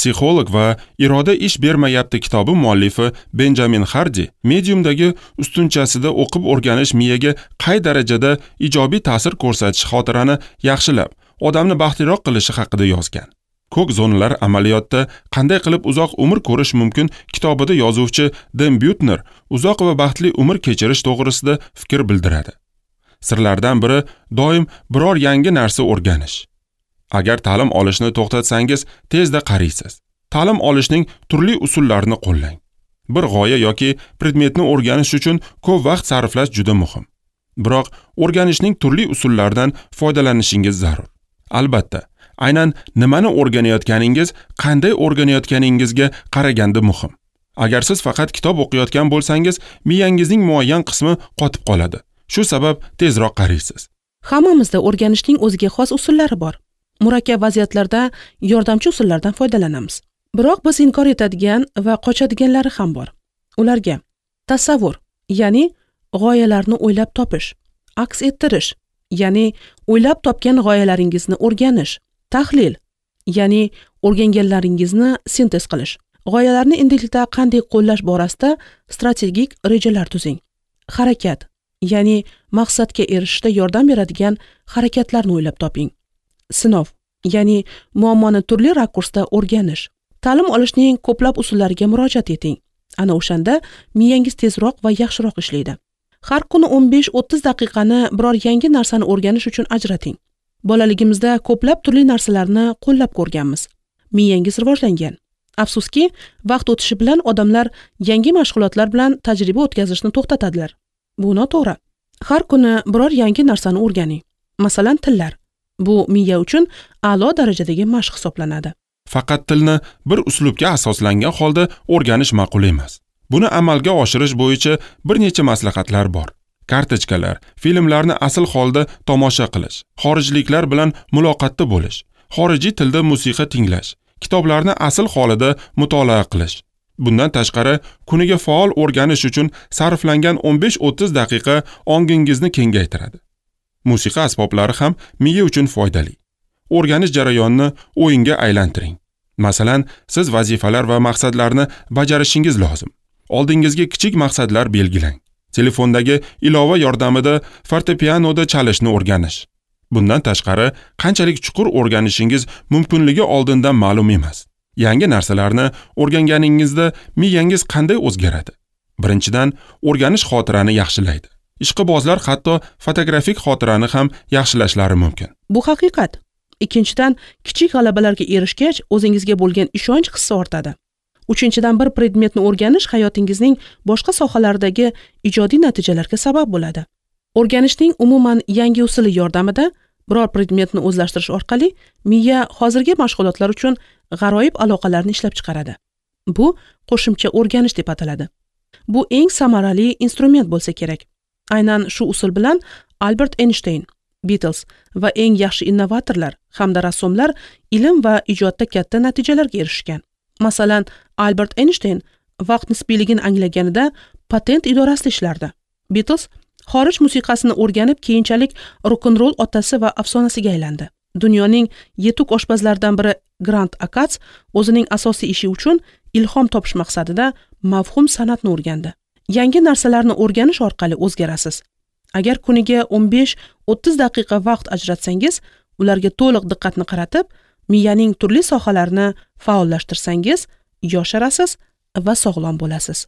Psixolog va Iroda ish bermayapti kitobi muallifi Benjamin Hardi Mediumdagi ustunchasida o'qib o'rganish miyaga qay darajada ijobiy ta'sir ko'rsatishi, xotirani yaxshilab, odamni baxtliroq qilishi haqida yozgan. Ko'k zonalar amaliyotda qanday qilib uzoq umr ko'rish mumkin kitobida yozuvchi Den Butner uzoq va baxtli umr kechirish to'g'risida fikr bildiradi. Sirlardan biri doim biror yangi narsa o'rganish. Agar ta'lim olishni to'xtatsangiz, tezda qariysiz. Ta'lim olishning turli usullarini qo'llang. Bir g'oya yoki predmetni o'rganish uchun ko'p vaqt sarflash juda muhim. Biroq o'rganishning turli usullaridan foydalanishingiz zarur. Albatta, aynan nimani o'rganayotganingiz, qanday o'rganayotganingizga qaraganda muhim. Agar siz faqat kitob o'qiyotgan bo'lsangiz, miyangizning muayyan qismi qotib qoladi. Shu sabab tezroq qariysiz. Hammamizda o'rganishning o'ziga xos usullari bor. Murakkab vaziyatlarda yordamchi usullardan foydalanamiz. Biroq biz inkor etadigan va qochadiganlari ham bor. Ularga tasavvur, ya'ni g'oyalarni o'ylab topish, aks ettirish, ya'ni o'ylab topgan g'oyalaringizni o'rganish, tahlil, ya'ni o'rganganlaringizni sintez qilish. G'oyalarni endilikda qanday qo'llash borasida strategik rejalar tuzing. Harakat, ya'ni maqsadga erishishda yordam beradigan harakatlarni o'ylab toping. Sinov, ya'ni muammoni turli rakursda o'rganish. Ta'lim olishning ko'plab usullariga murojaat eting. Ana o'shanda miyangiz tezroq va yaxshiroq ishlaydi. Har kuni 15-30 daqiqani biror yangi narsani o'rganish uchun ajrating. Bolaligimizda ko'plab turli narsalarni qo'llab ko'rganmiz. Miyangiz rivojlangan. Afsuski, vaqt o'tishi bilan odamlar yangi mashg'ulotlar bilan tajriba o'tkazishni to'xtatadilar. Bu noto'g'ri. Har kuni biror yangi narsani o'rganing. Masalan, tillar. Bu miya uchun a'lo darajadagi mashq hisoblanadi. Faqat tilni bir uslubga asoslangan holda o'rganish ma'qul emas. Buni amalga oshirish bo'yicha bir necha maslahatlar bor. Kartochkalar, filmlarni asl holda tomosha qilish, xorijliklar bilan muloqotda bo'lish, xorijiy tilda musiqa tinglash, kitoblarni asl holida mutolaa qilish. Bundan tashqari, kuniga faol o'rganish uchun sarflangan 15-30 daqiqa ongingizni kengaytiradi. Musiqa asboblari ham miya uchun foydali. O'rganish jarayonini o'yinga aylantiring. Masalan, siz vazifalar va maqsadlarni bajarishingiz lozim. Oldingizga kichik maqsadlar belgilang. Telefondagi ilova yordamida fortepianoda chalishni o'rganish. Bundan tashqari, qanchalik chuqur o'rganishingiz mumkinligi oldindan ma'lum emas. Yangi narsalarni o'rganganingizda miyangiz qanday o'zgaradi? Birinchidan, o'rganish xotirani yaxshilaydi. Ishqibozlar hatto fotografik xotirani ham yaxshilashlari mumkin. Bu haqiqat. Ikkinchidan, kichik g'alabalarga erishgach, o'zingizga bo'lgan ishonch hissi ortadi. Uchinchidan, bir predmetni o'rganish hayotingizning boshqa sohalaridagi ijodiy natijalarga sabab bo'ladi. O'rganishning umuman yangi usuli yordamida biror predmetni o'zlashtirish orqali miya hozirgi mashg'ulotlar uchun g'aroyib aloqalarni ishlab chiqaradi. Bu qo'shimcha o'rganish deb ataladi. Bu eng samarali instrument bo'lsa kerak. Aynan shu usul bilan Albert Eynshteyn, Beatles va eng yaxshi innovatorlar hamda rassomlar ilm va ijodda katta natijalarga erishgan. Masalan, Albert Eynshteyn vaqt nisbiyligini anglaganida patent idorasida ishlardi. Beatles xorij musiqasini o'rganib, keyinchalik rock-n-roll otasi va afsonasiga aylandi. Dunyoning yetuk oshpazlaridan biri Grant Akats o'zining asosiy ishi uchun ilhom topish maqsadida mavhum san'atni o'rgandi. Yangi narsalarni o'rganish orqali o'zgarasiz. Agar kuniga 15-30 daqiqa vaqt ajratsangiz, ularga to'liq diqqatni qaratib, miyaning turli sohalarini faollashtirsangiz, yosharasiz va sog'lom bo'lasiz.